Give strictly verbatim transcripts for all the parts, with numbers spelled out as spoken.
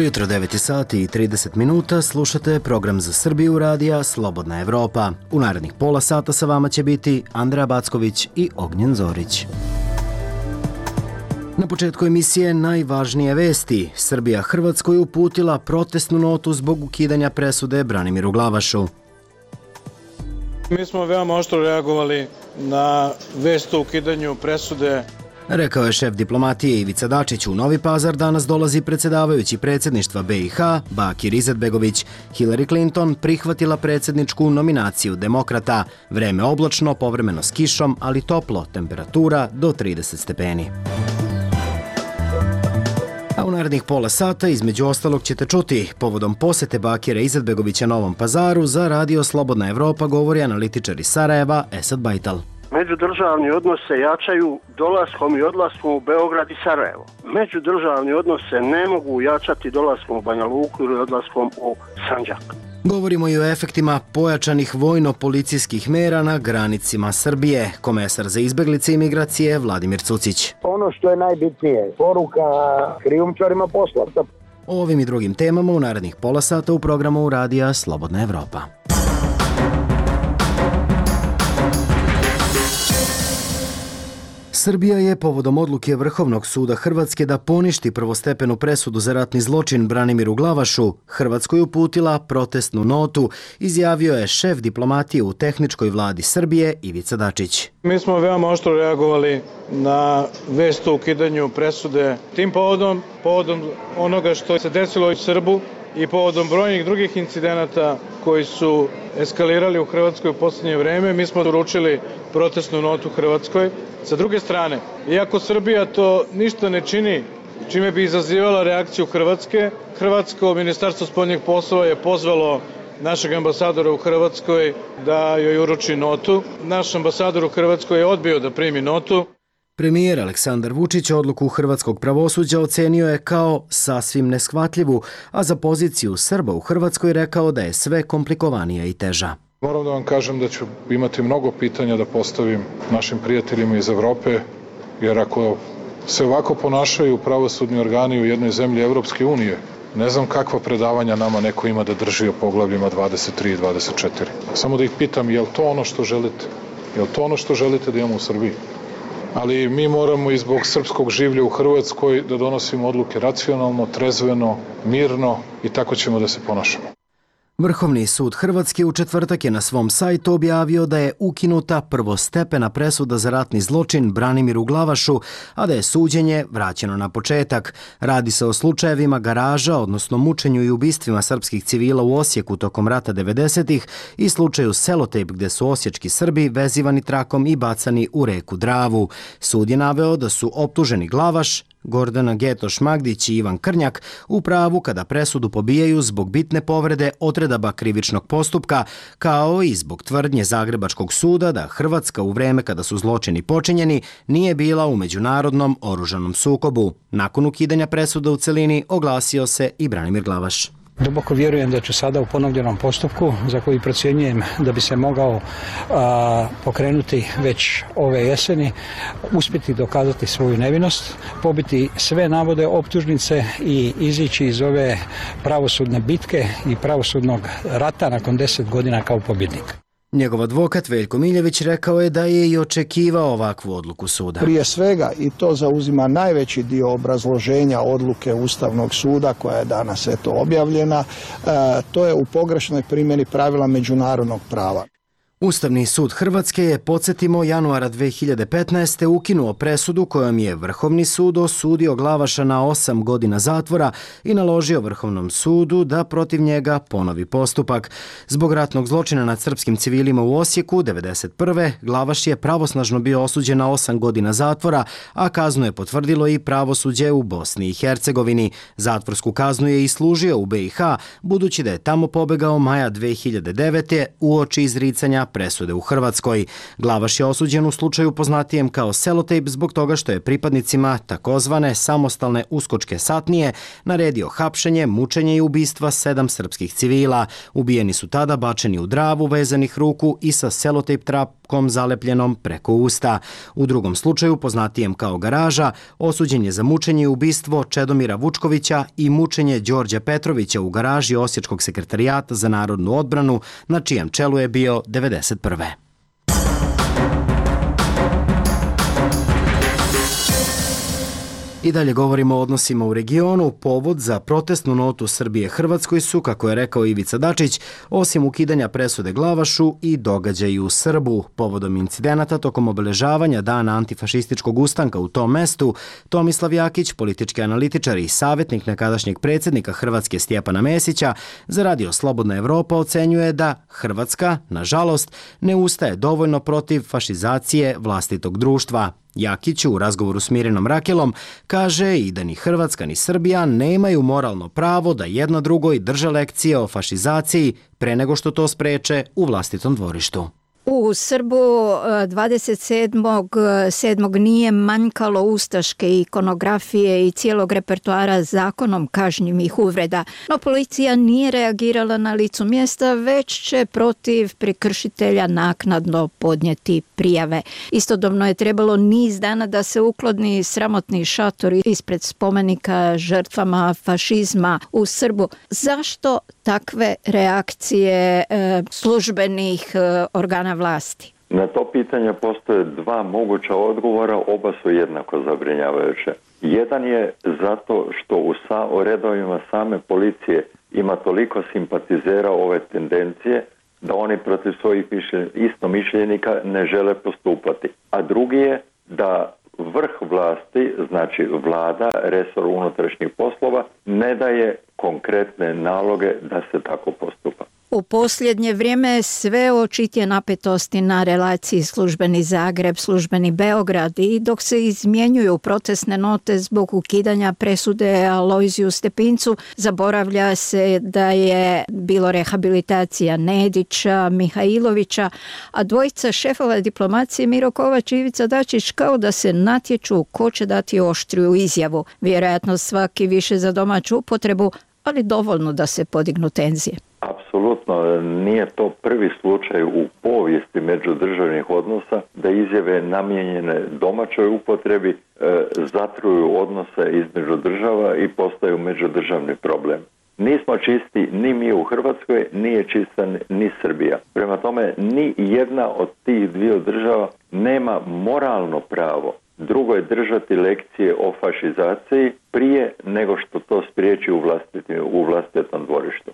Dobro jutro, devet sati i trideset minuta, slušate program za Srbiju radija Slobodna Evropa. U narednih pola sata sa vama će biti Andreja Backović i Ognjen Zorić. Na početku emisije najvažnije vesti. Srbija Hrvatskoj uputila protestnu notu zbog ukidanja presude Branimiru Glavašu. Mi smo veoma oštro reagovali na vest o ukidanju presude. Rekao je šef diplomatije Ivica Dačić. U Novi Pazar danas dolazi predsjedavajući predsjedništva B i H Bakir Izetbegović. Hillary Clinton prihvatila predsjedničku nominaciju demokrata. Vreme oblačno, povremeno s kišom, ali toplo, temperatura do trideset stepeni. A u narednih pola sata između ostalog ćete čuti povodom posete Bakira Izetbegovića Novom Pazaru za radio Slobodna Evropa govori analitičar iz Sarajeva Esad Bajtal. Međudržavni odnos se jačaju dolaskom i odlaskom u Beograd i Sarajevo. Međudržavni odnos se ne mogu jačati dolaskom u Banja Luku ili odlaskom u Sandžak. Govorimo i o efektima pojačanih vojno-policijskih mera na granicima Srbije. Komesar za izbeglice i migracije Vladimir Cucić. Ono što je najbitnije, poruka krijumčarima posla. O ovim i drugim temama u narednih pola sata u programu radija Slobodna Evropa. Srbija je povodom odluke Vrhovnog suda Hrvatske da poništi prvostepenu presudu za ratni zločin Branimiru Glavašu Hrvatskoj uputila protestnu notu, izjavio je šef diplomatije u tehničkoj vladi Srbije Ivica Dačić. Mi smo veoma oštro reagovali na vest o ukidanju presude. Tim povodom, povodom onoga što se desilo u Srbu i povodom brojnih drugih incidenata koji su eskalirali u Hrvatskoj u posljednje vreme, mi smo uručili protestnu notu Hrvatskoj. Sa druge strane, iako Srbija to ništa ne čini, čime bi izazivala reakciju Hrvatske, Hrvatsko ministarstvo spoljnih poslova je pozvalo našeg ambasadora u Hrvatskoj da joj uruči notu. Naš ambasador u Hrvatskoj je odbio da primi notu. Premijer Aleksandar Vučić odluku hrvatskog pravosuđa ocenio je kao sasvim neshvatljivu, a za poziciju Srba u Hrvatskoj rekao da je sve komplikovanija i teža. Moram da vam kažem da ću imati mnogo pitanja da postavim našim prijateljima iz Evrope, jer ako se ovako ponašaju pravosudni organi u jednoj zemlji Evropske unije, ne znam kakva predavanja nama neko ima da drži o poglavljima dvadeset tri i dvadeset četiri. Samo da ih pitam, je li to ono što želite? Je li to ono što želite da imamo u Srbiji? Ali mi moramo i zbog srpskog življa u Hrvatskoj da donosimo odluke racionalno, trezveno, mirno i tako ćemo da se ponašamo. Vrhovni sud Hrvatske u četvrtak je na svom sajtu objavio da je ukinuta prvostepena presuda za ratni zločin Branimiru Glavašu, a da je suđenje vraćeno na početak. Radi se o slučajevima garaža, odnosno mučenju i ubistvima srpskih civila u Osijeku tokom rata devedesetih i slučaju Selotejp gde su osječki Srbi vezivani trakom i bacani u reku Dravu. Sud je naveo da su optuženi Glavaš, Gordana Getoš-Magdić i Ivan Krnjak u pravu kada presudu pobijaju zbog bitne povrede odredaba krivičnog postupka, kao i zbog tvrdnje Zagrebačkog suda da Hrvatska u vreme kada su zločini počinjeni nije bila u međunarodnom oružanom sukobu. Nakon ukidanja presuda u celini oglasio se i Branimir Glavaš. Duboko vjerujem da ću sada u ponovljenom postupku, za koji procjenjujem da bi se mogao a, pokrenuti već ove jeseni, uspjeti dokazati svoju nevinost, pobiti sve navode optužnice i izići iz ove pravosudne bitke i pravosudnog rata nakon deset godina kao pobjednik. Njegov advokat Veljko Miljević rekao je da je i očekivao ovakvu odluku suda. Prije svega, i to zauzima najveći dio obrazloženja odluke Ustavnog suda koja je danas eto objavljena, e, to je u pogrešnoj primjeni pravila međunarodnog prava. Ustavni sud Hrvatske je, podsjetimo, januara dve hiljade petnaeste. ukinuo presudu kojom je Vrhovni sud osudio Glavaša na osam godina zatvora i naložio Vrhovnom sudu da protiv njega ponovi postupak. Zbog ratnog zločina nad srpskim civilima u Osijeku devedeset prve. Glavaš je pravosnažno bio osuđen na osam godina zatvora, a kaznu je potvrdilo i pravosuđe u Bosni i Hercegovini. Zatvorsku kaznu je i služio u B i H, budući da je tamo pobegao maja dve hiljade devete. uoči izricanja presude u Hrvatskoj. Glavaš je osuđen u slučaju poznatijem kao Selotejp zbog toga što je pripadnicima takozvane samostalne uskočke satnije naredio hapšenje, mučenje i ubistva sedam srpskih civila. Ubijeni su tada bačeni u Dravu vezanih ruku i sa selotejp trapkom zalepljenom preko usta. U drugom slučaju, poznatijem kao Garaža, osuđen je za mučenje i ubistvo Čedomira Vučkovića i mučenje Đorđa Petrovića u garaži Osječkog sekretarijata za narodnu odbranu, na čijem čelu je bio devedeset prve. I dalje govorimo o odnosima u regionu. Povod za protestnu notu Srbije Hrvatskoj su, kako je rekao Ivica Dačić, osim ukidanja presude Glavašu i događaji u Srbu. Povodom incidenata tokom obeležavanja dana antifašističkog ustanka u tom mestu, Tomislav Jakić, politički analitičar i savjetnik nekadašnjeg predsjednika Hrvatske Stjepana Mesića, za radio Slobodna Evropa ocenjuje da Hrvatska, nažalost, ne ustaje dovoljno protiv fašizacije vlastitog društva. Jakić u razgovoru s Mirinom Rakelom kaže i da ni Hrvatska ni Srbija nemaju moralno pravo da jedna drugoj drže lekcije o fašizaciji pre nego što to spreče u vlastitom dvorištu. U Srbu dvadeset sedmog sedmog nije manjkalo ustaške ikonografije i cijelog repertoara zakonom kažnjivih uvreda, no policija nije reagirala na licu mjesta, već će protiv prekršitelja naknadno podnijeti prijave. Istodobno je trebalo niz dana da se ukloni sramotni šator ispred spomenika žrtvama fašizma u Srbu. Zašto takve reakcije e, službenih e, organa vlasti? Na to pitanje postoje dva moguća odgovora, oba su jednako zabrinjavajuće. Jedan je zato što u sa, o redovima same policije ima toliko simpatizera ove tendencije da oni protiv svojih istomišljenika ne žele postupati. A drugi je da vrh vlasti, znači vlada, resor unutrašnjih poslova, ne daje konkretne naloge da se tako postupa. U posljednje vrijeme sve očitije napetosti na relaciji službeni Zagreb, službeni Beograd, i dok se izmjenjuju protestne note zbog ukidanja presude Alojziju Stepincu, zaboravlja se da je bilo rehabilitacija Nedića, Mihajlovića, a dvojica šefova diplomacije Miro Kovač i Ivica Dačić kao da se natječu ko će dati oštriju izjavu. Vjerojatno svaki više za domaću upotrebu, ali dovoljno da se podignu tenzije. Apsolutno nije to prvi slučaj u povijesti međudržavnih odnosa da izjave namijenjene domaćoj upotrebi e, zatruju odnose između država i postaju međudržavni problem. Nismo čisti ni mi u Hrvatskoj, nije čista ni Srbija. Prema tome, ni jedna od tih dviju država nema moralno pravo drugoj držati lekcije o fašizaciji prije nego što to spriječi u, vlastiti, u vlastitom dvorištu.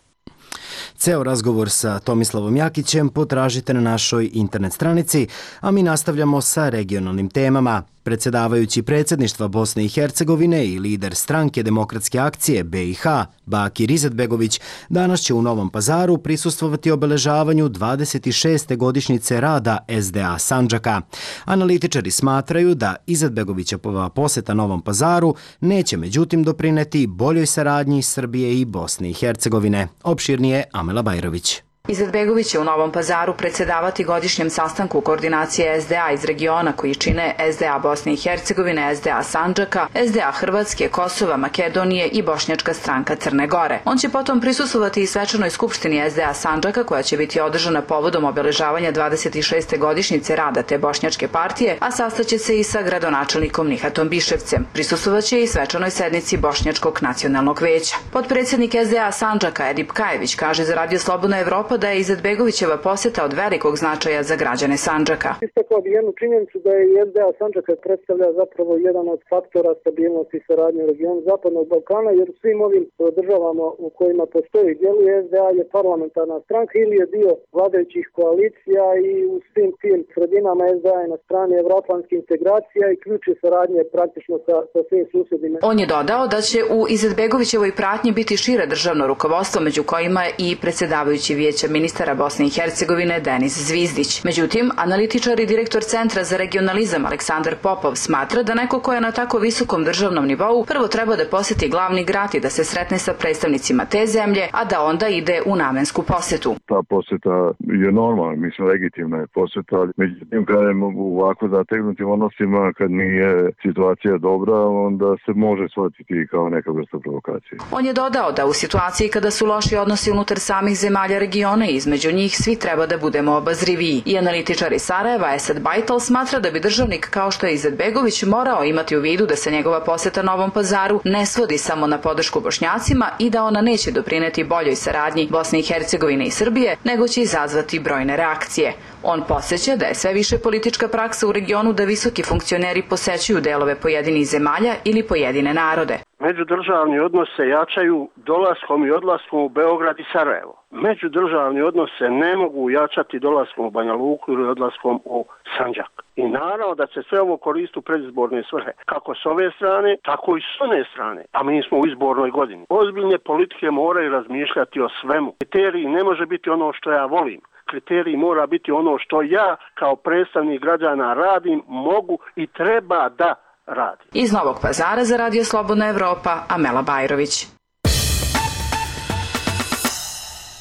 Ceo razgovor sa Tomislavom Jakićem potražite na našoj internet stranici, a mi nastavljamo sa regionalnim temama. Predsjedavajući predsjedništva Bosne i Hercegovine i lider stranke Demokratske akcije B i H, Bakir Izetbegović, danas će u Novom Pazaru prisustvovati obeležavanju dvadeset šeste godišnjice rada S D A Sandžaka. Analitičari smatraju da Izetbegovićeva posjeta Novom Pazaru neće međutim doprineti boljoj saradnji Srbije i Bosne i Hercegovine. Opširnije Amela Bajrović. Izetbegović će u Novom Pazaru predsjedavati godišnjem sastanku koordinacije S D A iz regiona koji čine S D A Bosne i Hercegovine, S D A Sandžaka, S D A Hrvatske, Kosova, Makedonije i Bošnjačka stranka Crne Gore. On će potom prisustvovati i svečanoj skupštini S D A Sandžaka koja će biti održana povodom obeležavanja dvadeset šeste godišnjice rada te Bošnjačke partije, a sastaće se i sa gradonačelnikom Nihatom Biševcem. Prisustvovaće i svečanoj sednici Bošnjačkog nacionalnog veća. Potpredsjednik S D A Sandžaka Edip Kajević kaže za radio Slobodna Evropa da je Izetbegovićeva posjeta od velikog značaja za građane Sandžaka. Istakao bi jednu činjenicu da je S D A Sandžaka predstavlja zapravo jedan od faktora stabilnosti i saradnje u regionu Zapadnog Balkana, jer u svim ovim državama u kojima postoji djeluje S D A je parlamentarna stranka ili je dio vladajućih koalicija i u svim tim sredinama S D A je na strani evropskih integracija i ključi saradnje praktično sa, sa svim susjedima. On je dodao da će u Izetbegovićevoj pratnji biti šire državno rukovodstvo, među kojima i predsjedavajući Vijeća vijeća ministara Bosne i Hercegovine Denis Zvizdić. Međutim, analitičar i direktor Centra za regionalizam Aleksandar Popov smatra da neko ko je na tako visokom državnom nivou prvo treba da poseti glavni grad i da se sretne sa predstavnicima te zemlje, a da onda ide u namensku posetu. Ta poseta je normalna, mislim legitimna je poseta, ali međutim kad je u ovako zategnutim odnosima, kad nije situacija dobra, onda se može shvatiti kao neka vrsta provokacije. On je dodao da u situaciji kada su loši odnosi unutar samih zemalja regiona i između njih svi treba da budemo obazriviji. I analitičar iz Sarajeva Esad Bajtal smatra da bi državnik kao što je Izetbegović morao imati u vidu da se njegova poseta Novom Pazaru ne svodi samo na podršku Bošnjacima i da ona neće doprineti boljoj saradnji Bosne i Hercegovine i Srbije, nego će izazvati brojne reakcije. On podsjeća da je sve više politička praksa u regionu da visoki funkcioneri posećuju delove pojedinih zemalja ili pojedine narode. Međudržavni odnos se jačaju dolaskom i odlaskom u Beograd i Sarajevo. Međudržavni odnos se ne mogu jačati dolaskom u Banja Luku ili odlaskom u Sandžak. I naravno da se sve ovo koristi u predizborne svrhe, kako s ove strane, tako i s one strane. A mi smo u izbornoj godini. Ozbiljne politike moraju razmišljati o svemu. Kriterij ne može biti ono što ja volim. Kriterij mora biti ono što ja kao predstavnik građana radim, mogu i treba da radi. Iz Novog Pazara za Radio Slobodna Evropa, Amela Bajrović.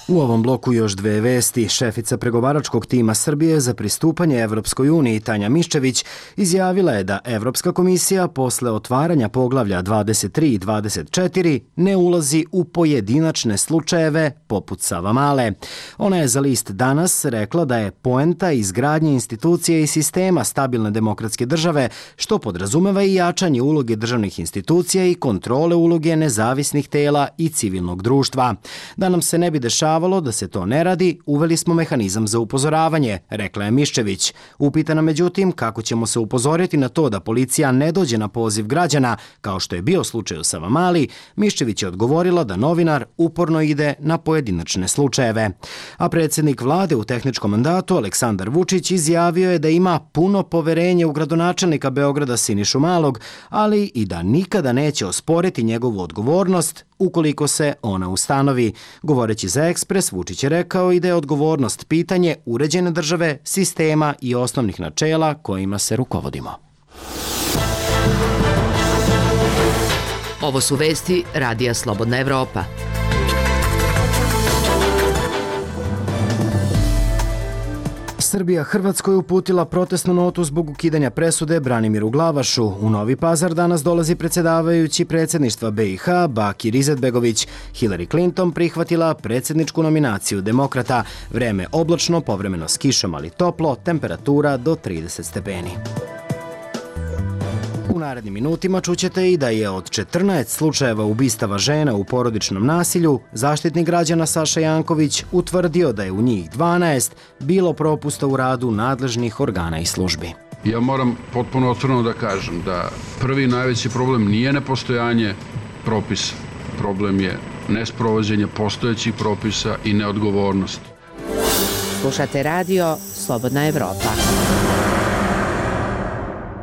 U ovom bloku još dve vesti. Šefica pregovaračkog tima Srbije za pristupanje Evropskoj uniji Tanja Miščević izjavila je da Evropska komisija posle otvaranja poglavlja dvadeset tri i dvadeset četiri ne ulazi u pojedinačne slučajeve poput Savamale. Ona je za list Danas rekla da je poenta izgradnje institucije i sistema stabilne demokratske države, što podrazumeva i jačanje uloge državnih institucija i kontrole uloge nezavisnih tela i civilnog društva. Da nam se ne bi dešavalo da se to ne radi, uveli smo mehanizam za upozoravanje, rekla je Miščević. Upitana međutim kako ćemo se upozoriti na to da policija ne dođe na poziv građana, kao što je bio slučaj u Savamali, Miščević je odgovorila da novinar uporno ide na pojedinačne slučajeve. A predsjednik vlade u tehničkom mandatu Aleksandar Vučić izjavio je da ima puno poverenje u gradonačelnika Beograda Sinišu Malog, ali i da nikada neće osporiti njegovu odgovornost ukoliko se ona ustanovi. Govoreći za Ekspres, Vučić je rekao i da je odgovornost pitanje uređene države, sistema i osnovnih načela kojima se rukovodimo. Ovo su vesti Radija Slobodna Evropa. Srbija Hrvatskoj uputila protestnu notu zbog ukidanja presude Branimiru Glavašu. U Novi Pazar danas dolazi predsjedavajući predsjedništva B i H Bakir Izetbegović. Hillary Clinton prihvatila predsjedničku nominaciju demokrata. Vreme oblačno, povremeno s kišom, ali toplo, temperatura do trideset stepeni. U narednim minutima čućete i da je od četrnaest slučajeva ubistava žena u porodičnom nasilju, Zaštitnik građana Saša Janković utvrdio da je u njih dvanaest bilo propusta u radu nadležnih organa i službi. Ja moram potpuno otvoreno da kažem da prvi najveći problem nije nepostojanje propisa. Problem je nesprovođenje postojećih propisa i neodgovornost. Slušate radio Slobodna Evropa.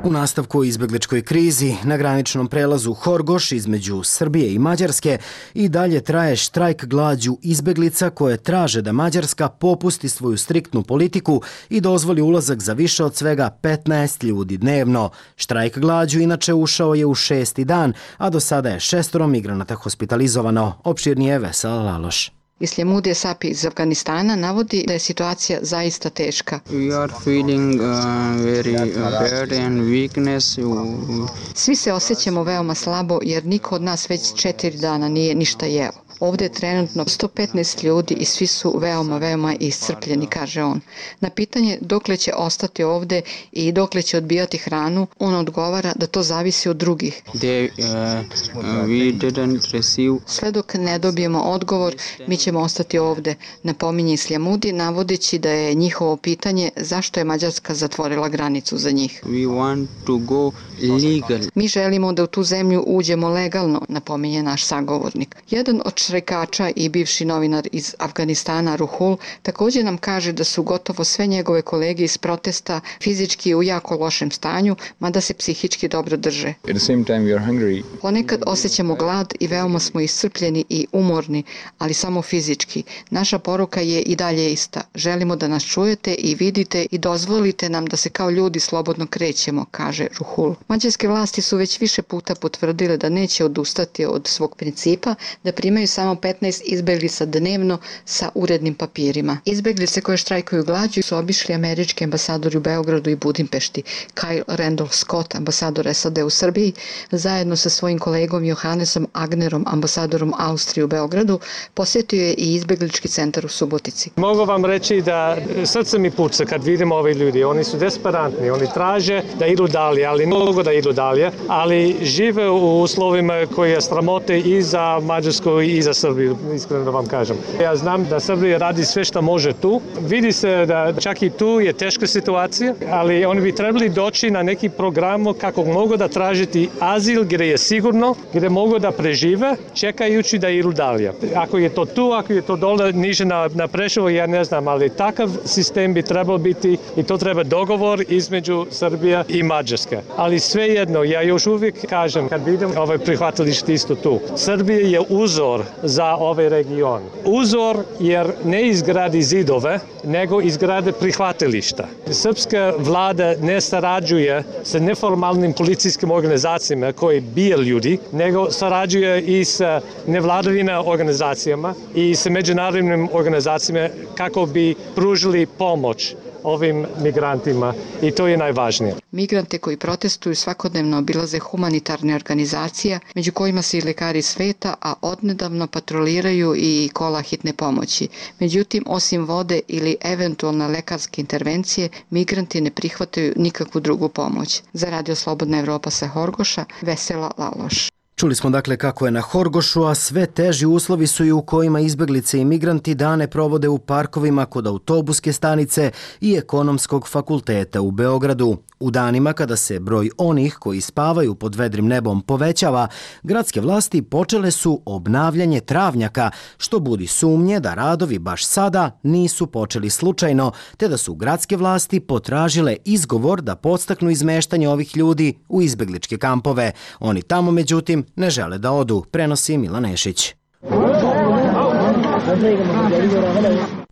U nastavku o izbegličkoj krizi na graničnom prelazu Horgoš između Srbije i Mađarske i dalje traje štrajk glađu izbeglica koje traže da Mađarska popusti svoju striktnu politiku i dozvoli ulazak za više od svega petnaest ljudi dnevno. Štrajk glađu inače ušao je u šesti dan, a do sada je šestoro migranata hospitalizovano. Opširnije Vesela Laloš. Islamudija Sapi iz Afganistana navodi da je situacija zaista teška. We are feeling uh, very uh, bad and weakness. Svi se osjećamo veoma slabo jer niko od nas već četiri dana nije ništa jeo. Ovdje je trenutno sto petnaest ljudi i svi su veoma, veoma iscrpljeni, kaže on. Na pitanje dokle će ostati ovdje i dokle će odbijati hranu, on odgovara da to zavisi od drugih. They, uh, uh, we didn't receive... Sve dok ne dobijemo odgovor, mi ćemo ostati ovdje, napominje Islamudi, navodeći da je njihovo pitanje zašto je Mađarska zatvorila granicu za njih. We want to go legal. Mi želimo da u tu zemlju uđemo legalno, napominje naš sagovornik. Jedan od štrajkača i bivši novinar iz Afganistana Ruhul također nam kaže da su gotovo sve njegove kolege iz protesta fizički u jako lošem stanju, mada se psihički dobro drže. Ponekad osjećamo glad i veoma smo iscrpljeni i umorni, ali samo fizički. Naša poruka je i dalje ista. Želimo da nas čujete i vidite i dozvolite nam da se kao ljudi slobodno krećemo, kaže Ruhul. Mađarske vlasti su već više puta potvrdile da neće odustati od svog principa, da primaju samo petnaest izbeglica dnevno sa urednim papirima. Izbeglice koje štrajkuju glađu su obišli američki ambasadori u Beogradu i Budimpešti. Kyle Randolph Scott, ambasador S A D u Srbiji, zajedno sa svojim kolegom Johannesom Agnerom, ambasadorom Austrije u Beogradu, posjetio je i izbeglički centar u Subotici. Mogu vam reći da srce mi puca kad vidim ove ljudi. Oni su desperantni, oni traže da idu dalje, ali ne mogu da idu dalje, ali žive u uslovima koji je sramote i za Mađarsku i za Srbiju, iskreno da vam kažem. Ja znam da Srbija radi sve što može tu. Vidi se da čak i tu je teška situacija, ali oni bi trebali doći na neki program kako mogu da tražiti azil gdje je sigurno, gdje mogu da prežive, čekajući da idu dalje. Ako je to tu, ako je to dole niže na, na Preševo, ja ne znam, ali takav sistem bi trebao biti i to treba dogovor između Srbije i Mađarske. Ali svejedno, ja još uvijek kažem, kad vidim ovaj prihvatilište isto tu, Srbija je uzor za ovaj region. Uzor jer ne izgradi zidove, nego izgrade prihvatilišta. Srpska vlada ne sarađuje sa neformalnim policijskim organizacijama koji bije ljudi, nego sarađuje i sa nevladavina organizacijama i sa međunarodnim organizacijama kako bi pružili pomoć ovim migrantima i to je najvažnije. Migrante koji protestuju svakodnevno obilaze humanitarne organizacije, među kojima se i lekari sveta, a odnedavno patroliraju i kola hitne pomoći. Međutim, osim vode ili eventualne lekarske intervencije, migranti ne prihvataju nikakvu drugu pomoć. Za Radio Slobodna Evropa sa Horgoša, Vesela Laloš. Čuli smo dakle kako je na Horgošu, a sve teži uslovi su i u kojima izbeglice i migranti dane provode u parkovima kod autobuske stanice i ekonomskog fakulteta u Beogradu. U danima kada se broj onih koji spavaju pod vedrim nebom povećava, gradske vlasti počele su obnavljanje travnjaka, što budi sumnje da radovi baš sada nisu počeli slučajno, te da su gradske vlasti potražile izgovor da podstaknu izmeštanje ovih ljudi u izbegličke kampove. Oni tamo, međutim, ne žele da odu, prenosi Milan Nešić.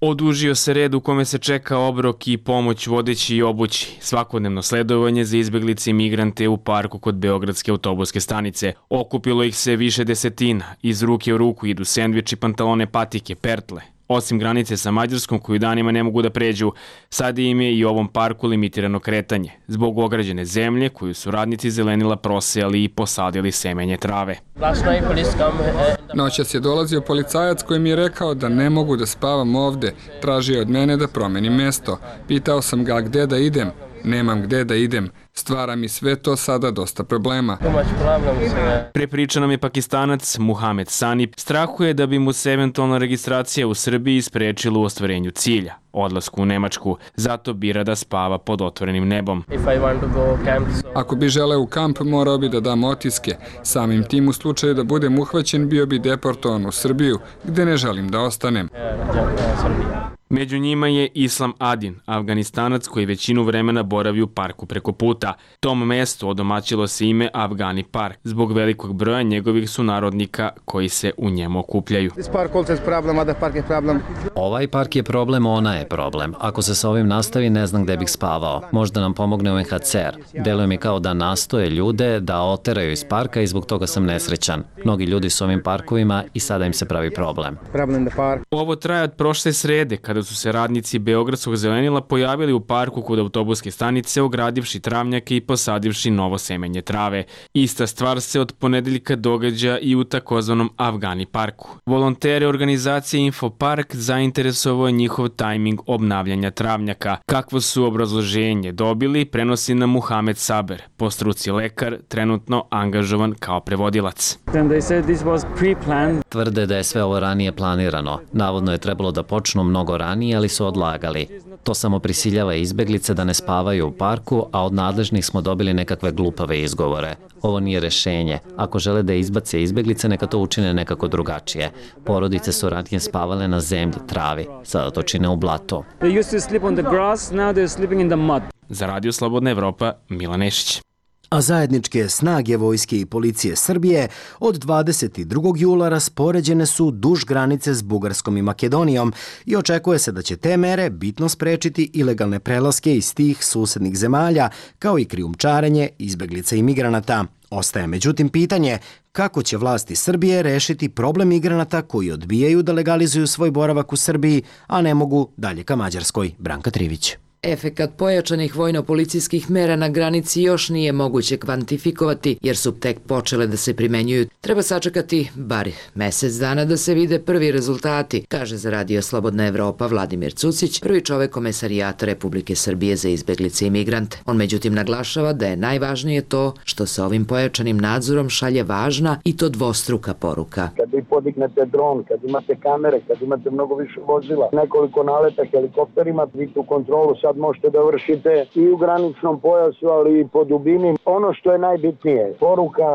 Odužio se red u kome se čeka obrok i pomoć vodeći i obući. Svakodnevno sledovanje za izbeglice i migrante u parku kod Beogradske autobuske stanice. Okupilo ih se više desetina. Iz ruke u ruku idu sendviči, pantalone, patike, pertle. Osim granice sa Mađarskom koju danima ne mogu da pređu, sad im je i u ovom parku limitirano kretanje, zbog ograđene zemlje koju su radnici zelenila prosejali i posadili semenje trave. Noćas je dolazio policajac koji mi je rekao da ne mogu da spavam ovde, tražio od mene da promenim mesto. Pitao sam ga gde da idem, nemam gde da idem. Stvara mi sve to sada dosta problema. Prepriča nam je Pakistanac Muhamed Sanip. Strahuje da bi mu se eventualna registracija u Srbiji sprečila u ostvarenju cilja, odlasku u Nemačku. Zato bira da spava pod otvorenim nebom. Ako bi želeo u kamp, morao bi da dam otiske. Samim tim u slučaju da budem uhvaćen, bio bi deportovan u Srbiju, gde ne želim da ostanem. Među njima je Islam Adin, Afganistanac koji većinu vremena boravi u parku preko puta. Tom mestu odomaćilo se ime Afgani park, zbog velikog broja njegovih sunarodnika koji se u njemu okupljaju. Ovaj park je problem, ona je problem. Ako se sa ovim nastavi, ne znam gde bih spavao. Možda nam pomogne U N H C R. Deluje mi kao da nastoje ljude da oteraju iz parka i zbog toga sam nesrećan. Mnogi ljudi su ovim parkovima i sada im se pravi problem. Ovo traje od prošle srede, kada su se radnici Beogradskog zelenila pojavili u parku kod autobuske stanice, ogradivši travnjake i posadivši novo semenje trave. Ista stvar se od ponedeljka događa i u takozvanom Afgani parku. Volontere organizacije Infopark zainteresovao je njihov tajming obnavljanja travnjaka. Kakvo su obrazloženje dobili, prenosi nam Muhamed Saber, po struci lekar, trenutno angažovan kao prevodilac. Tvrde da je sve ovo ranije planirano. Navodno je trebalo da počnu mnogo ranije ranije, ali su odlagali. To samo prisiljava izbeglice da ne spavaju u parku, a od nadležnih smo dobili nekakve glupave izgovore. Ovo nije rešenje. Ako žele da izbace izbeglice, neka to učine nekako drugačije. Porodice su ranije spavale na zemlji, travi. Sada to čine u blatu. Za Radio Slobodna Evropa, Milan Nešić. A zajedničke snage vojske i policije Srbije od dvadeset drugog jula raspoređene su duž granice s Bugarskom i Makedonijom i očekuje se da će te mere bitno sprečiti ilegalne prelaske iz tih susednih zemalja, kao i krijumčarenje izbeglica i migranata. Ostaje međutim pitanje kako će vlasti Srbije rešiti problem migranata koji odbijaju da legalizuju svoj boravak u Srbiji, a ne mogu dalje ka Mađarskoj. Branka Trivić. Efekat pojačanih vojno-policijskih mera na granici još nije moguće kvantifikovati jer su tek počele da se primenjuju. Treba sačekati bar mesec dana da se vide prvi rezultati, kaže za Radio Slobodna Evropa Vladimir Cucić, prvi čovek Komesarijata Republike Srbije za izbeglice i migrante. On međutim naglašava da je najvažnije to što se ovim pojačanim nadzorom šalje važna i to dvostruka poruka. Kad vi podignete dron, kad imate kamere, kad imate mnogo više vozila, nekoliko naleta helikopterima, vi tu kontrolu sad možete da vršite i u graničnom pojasu, ali i po dubini. Ono što je najbitnije, poruka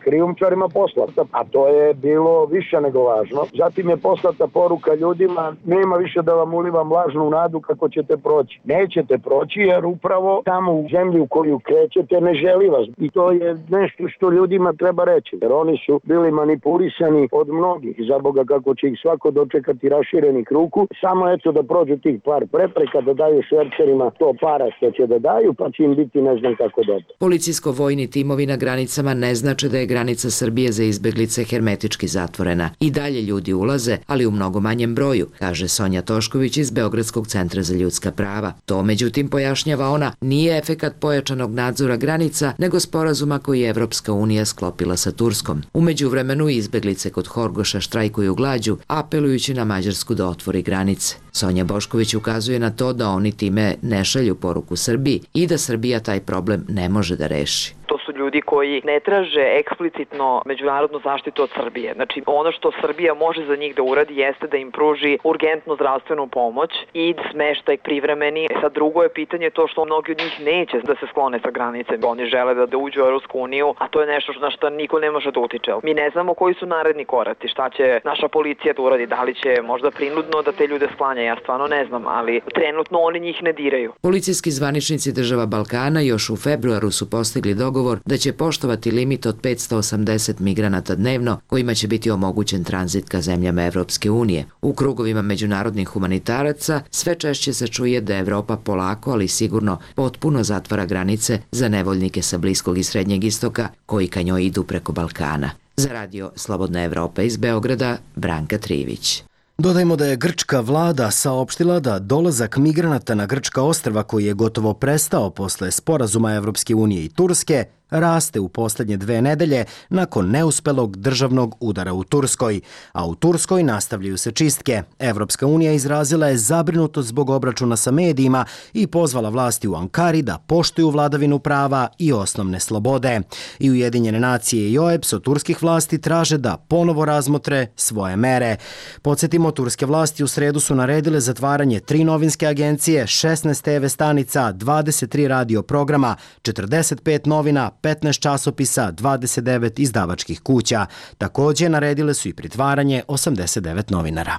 krijumčarima poslata, a to je bilo više nego važno. Zatim je poslata poruka ljudima, nema više da vam ulivam lažnu nadu kako ćete proći. Nećete proći jer upravo tamo u zemlju koju krećete ne želi vas. I to je nešto što ljudima treba reći, jer oni su bili manipulisani od mnogih. Za Boga kako će ih svako dočekati raširenih ruku, samo eto da prođu tih par prepreka, da daju švercerima to para što će da daju, pa će im biti ne znam kako dobro. Policijsko-vojni timovi na granicama ne znače da je granica Srbije za izbeglice hermetički zatvorena. I dalje ljudi ulaze, ali u mnogo manjem broju, kaže Sonja Tošković iz Beogradskog centra za ljudska prava. To, međutim, pojašnjava ona, nije efekat pojačanog nadzora granica, nego sporazuma koji je Evropska unija sklopila sa Turskom. U međuvremenu izbeglice kod Horgoša štrajkuju glađu, apelujući na Mađarsku da otvori granice. Sonja Bošković ukazuje na to da oni time ne šalju poruku Srbiji i da Srbija taj problem ne može da reši. To su ljudi koji ne traže eksplicitno međunarodnu zaštitu od Srbije. Znači, ono što Srbija može za njih da uradi jeste da im pruži urgentnu zdravstvenu pomoć i smeštaj privremeni. Sad drugo je pitanje to što mnogi od njih neće da se sklone sa granice. Oni žele da, da uđu u Europsku uniju, a to je nešto na što niko ne može da utiče. Mi ne znamo koji su naredni koraci, šta će naša policija da uradi, da li će možda prinudno da te ljude sklanja, ja stvarno ne znam, ali trenutno oni njih ne diraju. Policijski zvaničnici država Balkana još u februaru su postigli dogovor da će poštovati limit od petsto osamdeset migranata dnevno kojima će biti omogućen tranzit ka zemljama Evropske unije. U krugovima međunarodnih humanitaraca sve češće se čuje da Evropa polako, ali sigurno potpuno zatvara granice za nevoljnike sa Bliskog i Srednjeg istoka koji ka njoj idu preko Balkana. Za Radio Slobodna Evropa iz Beograda, Branka Trivić. Dodajmo da je grčka vlada saopštila da dolazak migranata na grčka ostrva koji je gotovo prestao posle sporazuma Evropske unije i Turske raste u poslednje dve nedelje nakon neuspelog državnog udara u Turskoj. A u Turskoj nastavljaju se čistke. Evropska unija izrazila je zabrinutost zbog obračuna sa medijima i pozvala vlasti u Ankari da poštuju vladavinu prava i osnovne slobode. I Ujedinjene nacije i O E B S od turskih vlasti traže da ponovo razmotre svoje mere. Podsjetimo, turske vlasti u sredu su naredile zatvaranje tri novinske agencije, šesnaest te ve stanica, dvadeset tri radio programa, četrdeset pet novina, petnaest časopisa, dvadeset devet izdavačkih kuća. Takođe, naredile su i pritvaranje osamdeset devet novinara.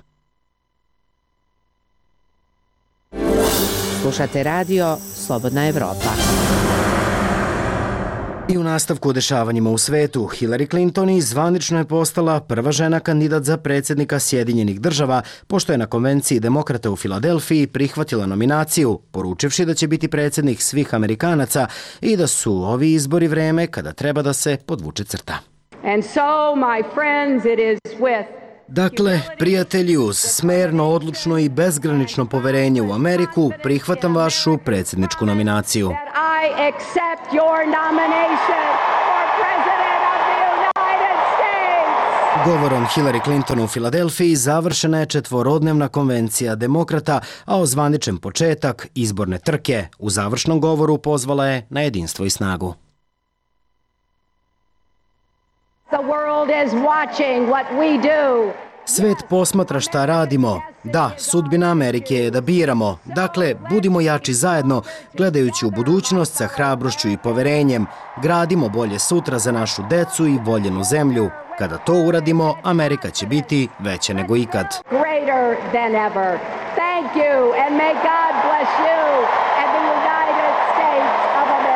Slušate radio Slobodna Evropa. I u nastavku o dešavanjima u svetu, Hillary Clinton i zvanično je postala prva žena kandidat za predsjednika Sjedinjenih država, pošto je na konvenciji demokrata u Filadelfiji prihvatila nominaciju, poručivši da će biti predsjednik svih Amerikanaca i da su ovi izbori vreme kada treba da se podvuče crta. And so, my friends, it is with Dakle, prijatelji, uz smerno, odlučno i bezgranično poverenje u Ameriku, prihvatam vašu predsjedničku nominaciju. I accept your nomination for President of the United States. Govorom Hillary Clinton u Filadelfiji završena je četvorodnevna konvencija demokrata, a ozvaničen početak izborne trke. U završnom govoru pozvala je na jedinstvo i snagu. The world is watching what we do. Svet posmatra šta radimo. Da, sudbina Amerike je da biramo. Dakle, budimo jači zajedno, gledajući u budućnost sa hrabrošću i poverenjem. Gradimo bolje sutra za našu decu i voljenu zemlju. Kada to uradimo, Amerika će biti veća nego ikad. Greater than ever. Thank you and may God bless you and the United States of America.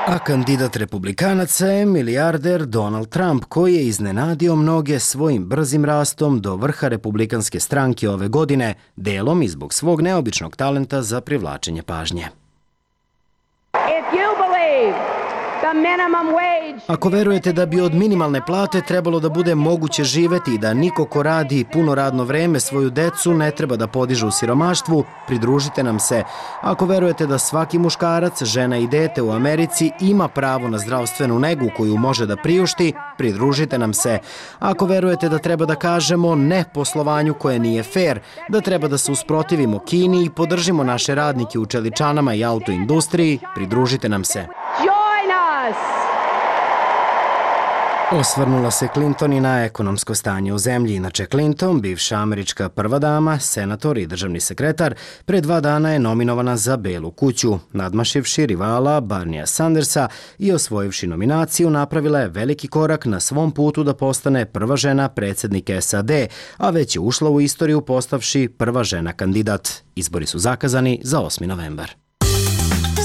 A kandidat republikanaca je milijarder Donald Trump, koji je iznenadio mnoge svojim brzim rastom do vrha republikanske stranke ove godine, delom i zbog svog neobičnog talenta za privlačenje pažnje. If you believe the minimum wage... Ako verujete da bi od minimalne plate trebalo da bude moguće živeti i da niko ko radi puno radno vreme svoju decu ne treba da podiže u siromaštvu, pridružite nam se. Ako verujete da svaki muškarac, žena i dete u Americi ima pravo na zdravstvenu negu koju može da priušti, pridružite nam se. Ako verujete da treba da kažemo ne poslovanju koje nije fair, da treba da se usprotivimo Kini i podržimo naše radnike u čeličanama i autoindustriji, pridružite nam se. Join us! Osvrnula se Clinton i na ekonomsko stanje u zemlji. Inače, Clinton, bivša američka prva dama, senator i državni sekretar, pre dva dana je nominovana za Belu kuću. Nadmašivši rivala Barnija Sandersa i osvojivši nominaciju, napravila je veliki korak na svom putu da postane prva žena predsjednik S A D, a već je ušla u istoriju postavši prva žena kandidat. Izbori su zakazani za osmi novembar.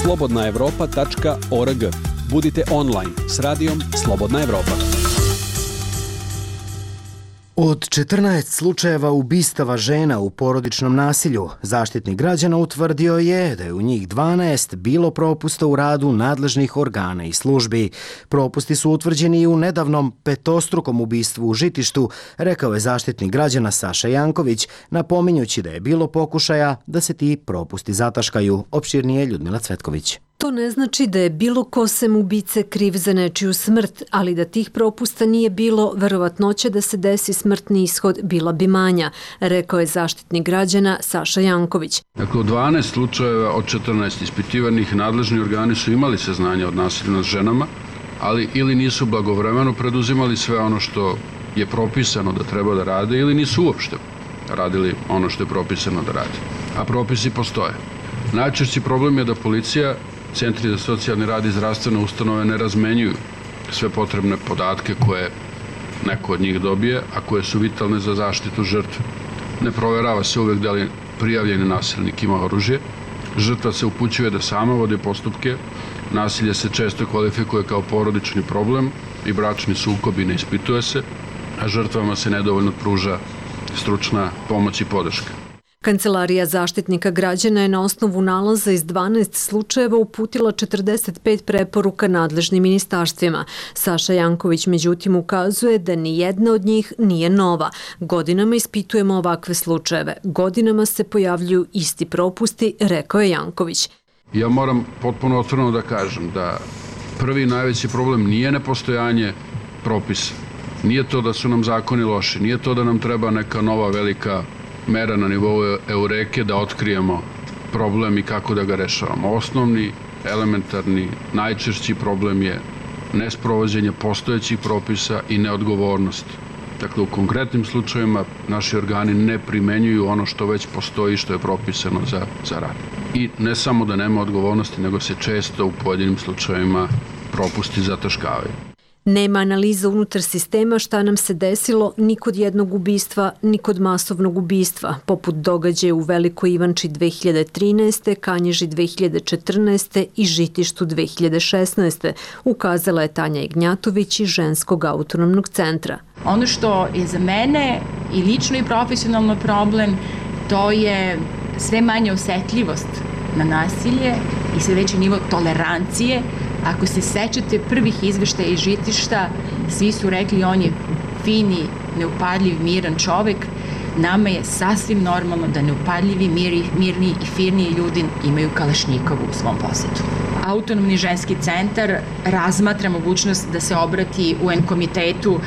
slobodna evropa tačka org. Budite online s radijom Slobodna Evropa. Od četrnaest slučajeva ubistava žena u porodičnom nasilju, Zaštitnik građana utvrdio je da je u njih dvanaest bilo propusta u radu nadležnih organa i službi. Propusti su utvrđeni i u nedavnom petostrukom ubistvu u Žitištu, rekao je Zaštitnik građana Saša Janković, napominjući da je bilo pokušaja da se ti propusti zataškaju. Opširnije Ljudmila Cvetković. To ne znači da je bilo ko sem ubice kriv za nečiju smrt, ali da tih propusta nije bilo, verovatnoća da se desi smrtni ishod bila bi manja, rekao je Zaštitnik građana Saša Janković. Dakle, u dvanaest slučajeva od četrnaest ispitivanih nadležni organi su imali saznanja od nasilja nad ženama, ali ili nisu blagovremeno preduzimali sve ono što je propisano da treba da rade, ili nisu uopšte radili ono što je propisano da rade. A propisi postoje. Najčešći problem je da policija, centri za socijalni rad i zdravstvene ustanove ne razmenjuju sve potrebne podatke koje neko od njih dobije, a koje su vitalne za zaštitu žrtve. Ne proverava se uvek da li prijavljeni nasilnik ima oružje. Žrtva se upućuje da sama vodi postupke. Nasilje se često kvalifikuje kao porodični problem i bračni sukob i ne ispituje se, a žrtvama se nedovoljno pruža stručna pomoć i podrška. Kancelarija Zaštitnika građana je na osnovu nalaza iz dvanaest slučajeva uputila četrdeset pet preporuka nadležnim ministarstvima. Saša Janković međutim ukazuje da ni jedna od njih nije nova. Godinama ispitujemo ovakve slučajeve. Godinama se pojavljuju isti propusti, rekao je Janković. Ja moram potpuno otvoreno da kažem da prvi najveći problem nije nepostojanje propisa. Nije to da su nam zakoni loši, nije to da nam treba neka nova velika mera na nivou Eureke da otkrijemo problem i kako da ga rešavamo. Osnovni, elementarni, najčešći problem je nesprovođenje postojećih propisa i neodgovornost. Dakle, u konkretnim slučajevima naši organi ne primenjuju ono što već postoji, što je propisano za, za rad. I ne samo da nema odgovornosti, nego se često u pojedinim slučajevima propusti zataškavaju. Nema analiza unutar sistema šta nam se desilo ni kod jednog ubistva, ni kod masovnog ubistva, poput događaja u Velikoj Ivanči dve hiljade trinaeste, Kanjiži dve hiljade četrnaeste i Žitištu dve hiljade šesnaeste, ukazala je Tanja Ignjatović iz Ženskog autonomnog centra. Ono što je za mene i lično i profesionalno problem, to je sve manja osetljivost na nasilje i sve veći nivo tolerancije. Ako se sećate prvih izveštaja iz Žitišta, svi su rekli on je fini, neupadljiv, miran čovek. Nama je sasvim normalno da neupadljivi, miri, mirni i firni ljudi imaju kalašnjikovu u svom posedu. Autonomni ženski centar razmatra mogućnost da se obrati U N komitetu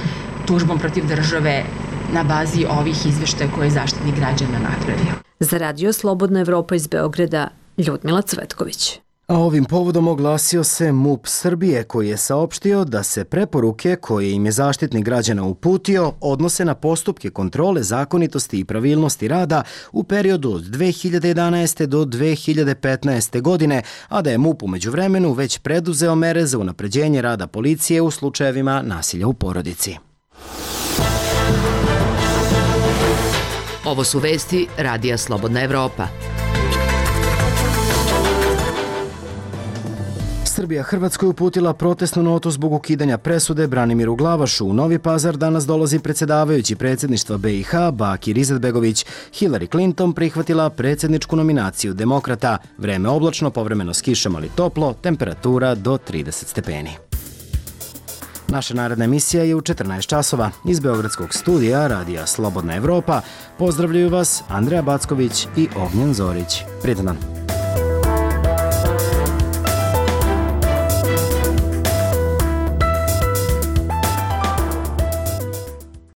tužbom protiv države na bazi ovih izveštaja koje je Zaštitnik građana napravio. Za radio Slobodna Evropa iz Beograda, Ljudmila Cvetković. A ovim povodom oglasio se MUP Srbije, koji je saopštio da se preporuke koje im je Zaštitnik građana uputio odnose na postupke kontrole zakonitosti i pravilnosti rada u periodu od dve hiljade jedanaeste do dve hiljade petnaeste godine, a da je MUP u međuvremenu već preduzeo mere za unapređenje rada policije u slučajevima nasilja u porodici. Ovo su vesti Radija Slobodna Evropa. Srbija Hrvatskoj uputila protestnu notu zbog ukidanja presude Branimiru Glavašu. U Novi Pazar danas dolazi predsjedavajući predsjedništva B i H Bakir Izetbegović. Hillary Clinton prihvatila predsjedničku nominaciju demokrata. Vreme oblačno, povremeno s kišom, ali toplo, temperatura do trideset stepeni. Naša naredna emisija je u četrnaest časova. Iz Beogradskog studija Radija Slobodna Evropa pozdravljaju vas Andreja Backović i Ognjen Zorić. Prijetan dan.